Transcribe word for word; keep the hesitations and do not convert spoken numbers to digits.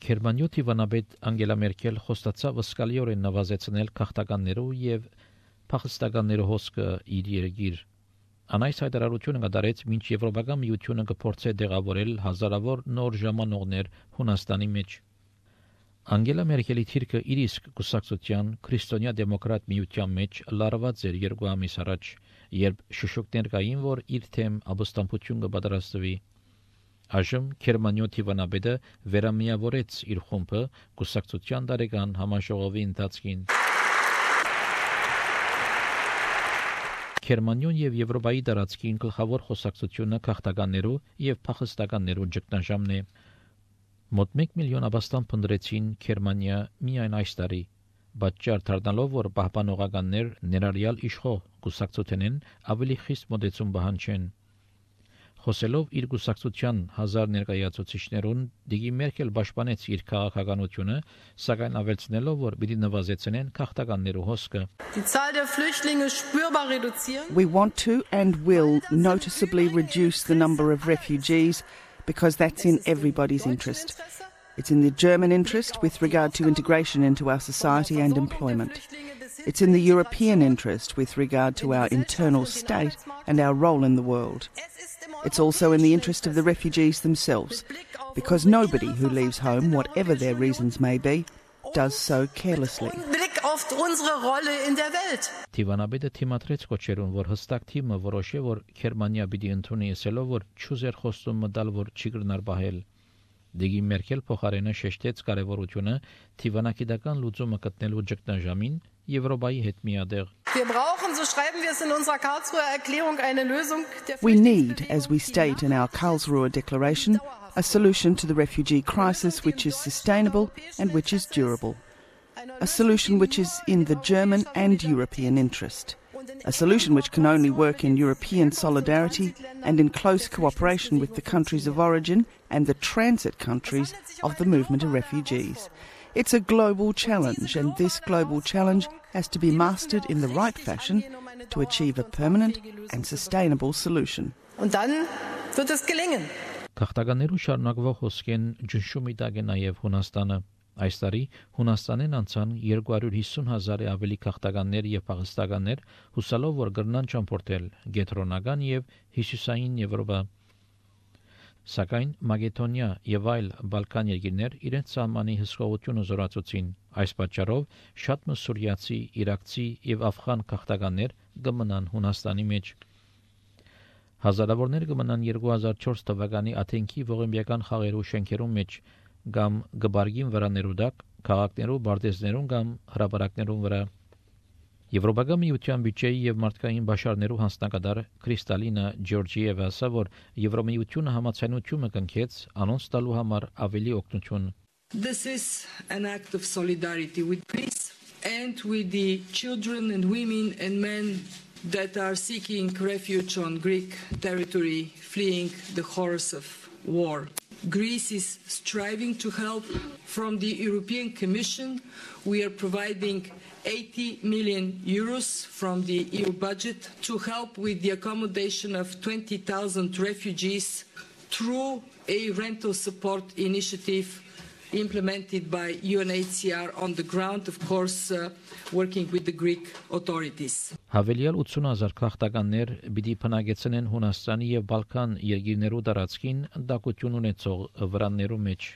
Գերմանիոյ վանաբեդ Անգելա Մերկել խոստացավ սկալիորեն նվազեցնել քաղաքականներու եւ փախստականներու հոսքը իր երկիր։ Անայս հայտարարությունը կդարեց մինչ Եվրոպական միությունը կփորձե դեղավորել հազարավոր նոր ժամանողներ Հունաստանի մեջ։ Անգելա Մերկելի թիրքը իր իսկ կուսակցության քրիստոնյա դեմոկրատ միության մեջ լարված էր երկու ամիս առաջ, երբ շշուկներ կային, որ իր թեմ ապստամբություն կպատրաստվի։ Այժմ Գերմանիոյ վանաբեդը վերամիավորեց իր խումբը կուսակցության տարեկան համաժողովի ընթացքին։ Գերմանիոն եւ Եվրոպայի տարածքին գլխավոր խոսակցությունը քաղաքականներու եւ փախստականներու ճգնաժամն է։ Մոտ մեկ միլիոն աբաստան փնտրեցին Գերմանիա միայն այս տարի, բացառ դառնալով, որ պահպանողականներ ներառյալ իշխող կուսակցությունեն ավելի խիստ մոտեցում պահանջեն։ Խոսելով իր կուսակցության հազար ներկայացուցիչներուն, Դիգի Մերկել պաշտպանեց իր քաղաքականությունը, սակայն ավելցնելով, որ պիտի նվազեցնեն քաղաքականներու հոսքը։ We want to and will noticeably reduce the number of refugees because that's in everybody's interest. It's in the German interest with regard to integration into our society and employment. It's in the European interest with regard to our internal state and our role in the world. It's also in the interest of the refugees themselves, because nobody who leaves home, whatever their reasons may be, does so carelessly. Տիվանաբեդը թիմատրեց կոչերուն, որ հստակ թիմը որոշե, որ Գերմանիա պիտի ընդունի ասելով, որ չուզեր խոստում մտալ, որ չի կրնար պահել։ Դիգի Մերկել փոխարենը շեշտեց կարևորությունը թիվանակիդական լուծումը գտնելու ճգնաժամին Եվրոպայի հետ միադեղ։ We need, as we state in our Karlsruhe Declaration, a solution to the refugee crisis which is sustainable and which is durable. A solution which is in the German and European interest. A solution which can only work in European solidarity and in close cooperation with the countries of origin and the transit countries of the movement of refugees. It's a global challenge, and this global challenge has to be mastered in the right fashion to achieve a permanent and sustainable solution. Քաղաքականներու շարունակվող հոսքեն ճնշումի տակ է նաև Հունաստանը։ Այս տարի Հունաստանեն անցան երկու հարյուր հիսուն հազարի ավելի քաղաքականներ եւ փախստականներ, հուսալով որ կրնան ճամփորդել Գետրոնական եւ Հյուսիսային Եվրոպա։ Սակայն Մակեդոնիա եւ այլ Բալկան երկիրներ իրենց սահմանի հսկողությունը զորացուցին։ Այս պատճառով շատ մսուրիացի, իրաքցի եւ աֆղան քաղաքականներ կմնան Հունաստանի մեջ։ Հազարավորներ կմնան երկու հազար չորս թվականի Աթենքի ողեմբիական խաղերու շենքերում մեջ կամ գբարգին վրաներու դակ, քաղաքներու, բարձեզներուն կամ հրապարակներուն վրա։ Եվրոպական միության բյուջեի եւ մարդկային բաշարներու հանձնակատար Կրիստալինա Ջորջիևա ասավ, որ Եվրոմիությունը համացանությունը կնքեց անոնց տալու համար ավելի օգնություն։ This is an act of solidarity with Greece and with the children and women and men that are seeking refuge on Greek territory, fleeing the horrors of war. Greece is striving to help. From the European Commission, we are providing eighty million euros from the E U budget to help with the accommodation of twenty thousand refugees through a rental support initiative implemented by U N H C R on the ground, of course, uh, working with the Greek authorities. Հավելյալ ութսուն հազար քաղաքականներ պիտի փնագեցնեն Հունաստանի եւ Բալկան երկիրներու տարածքին դակություն ունեցող վրաններու մեջ։